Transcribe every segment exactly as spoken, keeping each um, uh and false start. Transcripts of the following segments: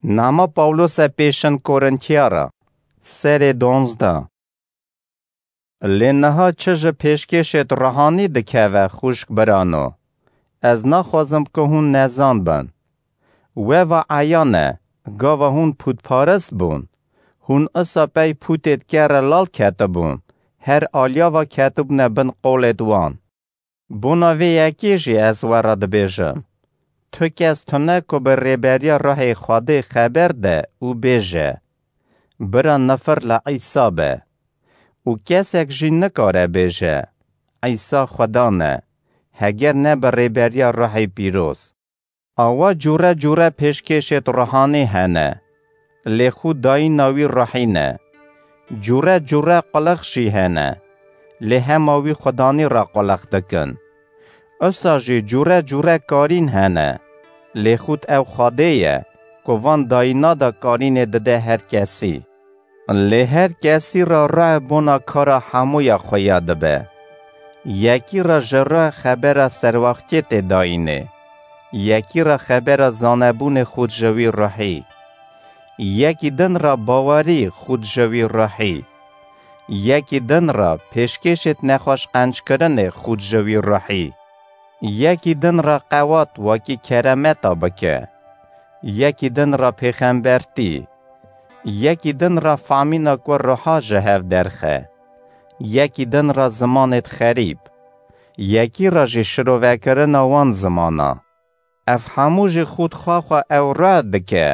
Nama Pawlose pêşin Korintiyara, serê donzdeh. Lê niha çi ji pêşkêşêd ruhanî dikeve, xwişk birano? Ez naxwazim ku hûn nezan bin. We va eyan e, gava hûn pûtparist bûn, hûn isa pey pûtêd kerre lal ketibûn, her aliya va ketibûne bin qolêd wan. Bona vê yekê jî ez we re dibêjim, tu kes tune ku bi rêberiya Ruhê Xwedê xeber de û bêje, bira nifir li Îsa be. Û kesek jî nikare bêje, Îsa Xudan e, heger ne bi rêberiya Ruhê Pîroz. Awa cûre cûre pêşkêşêd ruhanî hene, lê xû dayîna wî ruhî ne. Cûre cûre qulix jî hene, lê hema wî xudanî re qulix dikin. Usa jî cûre cûre karîn hene, lê xût ew Xwedê ye, ku van dayîna de karînê dide her kesî. Lê her kesî re ruh bona kara hemûya xwe ya dibe. Yekî re ji ruh xebera serwaxtiyê tê dayînê. Yekî re xebera zanebûnê xût ji wî ruhî. Yekî din re bawerî xût ji wî ruhî. Yekî din re pêşkêşêd nexweş qenckirinê xût ji wî ruhî. Yekî din re qewat wekî keremeta bike. Yekî din re pêxembertî. Yekî din re famîna ku ruha ji hev derxe. Yekî din re zimanêd xerîb. Yekî re jî şirovekirina wan zimana. Ev hemû jî xût xwe xwe ew ruh dike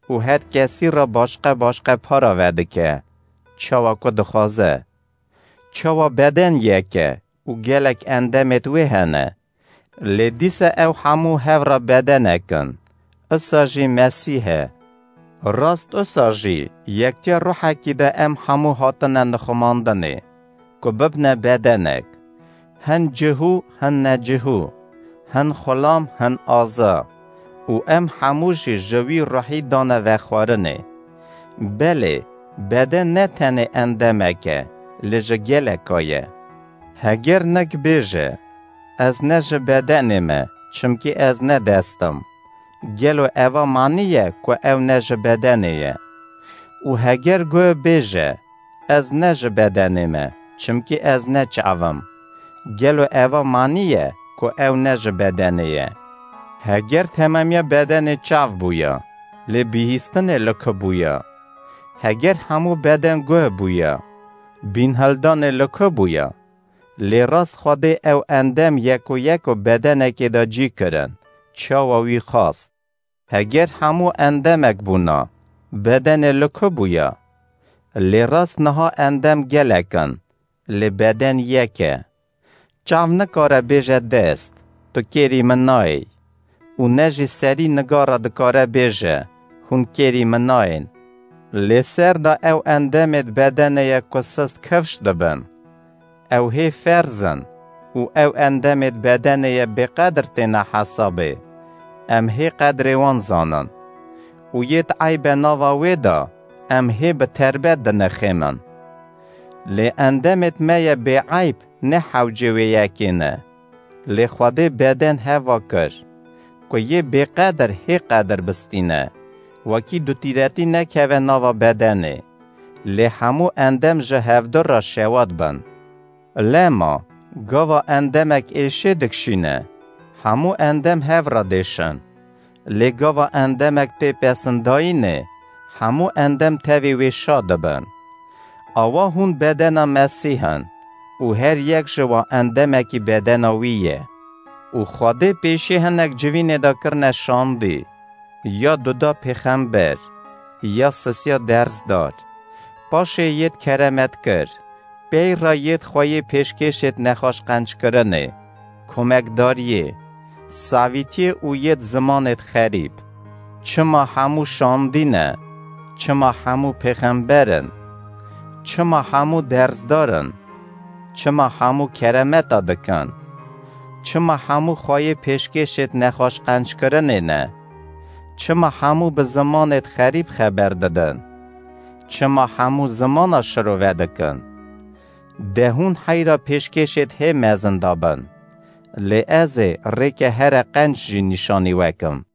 û her kesî re başqe başqe para vedike, çawa ku dixwaze. Çawa beden yek e û gelek endemêd wê hene, lê dîsa ew hemû hev re bedenek in, isa jî Mesîh e. Rast isa jî yektiya ruhekî de em hemû hatine nixumandinê, ku bibne bedenek, hin cihû, hin necihû, hin xulam, hin aza, û em hemû jî ji wî ruhî dane vexwarinê. Belê, beden ne tenê endemek e, lê ji geleka ye. Heger nek bêje, Ez ne ji bedenê me, çimkî ez ne dest im. Gelo eva manî ye ku ew ne ji bedenê ye? Û heger guh bêje, Ez ne ji bedenê me, çimkî ez ne çav im. Gelo eva manî ye ku ew ne ji bedenê ye? Heger temamiya bedenê çav bûya, lê bihîstinê li ku bûya? Heger hemû beden guh bûya, bînhildanê li ku bûya? Lê rast Xwedê ew endem yeko yeko bedenekê de cî kirin, çawa wî xwast. Heger hemû endemek bûna, bedenê li ku bûya? Lê rast niha endem gelek in, lê beden yek e. Çav nikare bêje dest, Tu kêrî min nayê. Û ne jî serî nigara dikare bêje, Hûn kêrî min nayên. Lê ser de ew endemêd bedenê ye ku sist kifş dibin. Ew hê ferz in û ew endemêd bedenê ye bêqedir têne hesabê. Em hê qedrê wan zanin. Û yêd eybe nava wê de em hê bi terbet dinixêmin. Lê endemêd me ye bêeyb ne hewcê wê yekê ne. Lê Xwedê beden heva kir, ku yê bêqedir hê qedir bistîne, wekî dutîretî nekeve nava bedenê, lê hemû endem ji hevdu re şewat bin. Lema, gava endemek êşê dikşîne, hemû endem hev re dêşin. Lê gava endemek tê pesindayînê, hemû endem tevî wê şa dibin. Awa hûn bedena Mesîh in û her yek ji wan endemekî bedena wî ye. Û Xwedê pêşî hinek civînê de kirine şandî, ya duda pêxember, ya sisiya dersdar, paşê yêd keremet kir, pey re yêd xweyê pêşkêşêd nexweş qenckirinê, komekdariyê, savîtiyê û yêd zimanêd xerîb. Çima hemû şandî ne? Çima hemû pêxember in? Çima hemû dersdar in? Çima hemû keremeta dikin? Çima hemû xweyê pêşkêşêd nexweş qenckirinê ne? Çima hemû bi zimanêd xerîb xeber didin? Çima hemû zimana şirove dikin? De hûn heyra pêşkêşêd hê mezin dabin. Lê ez ê rêke here qenc jî nîşanî we kim.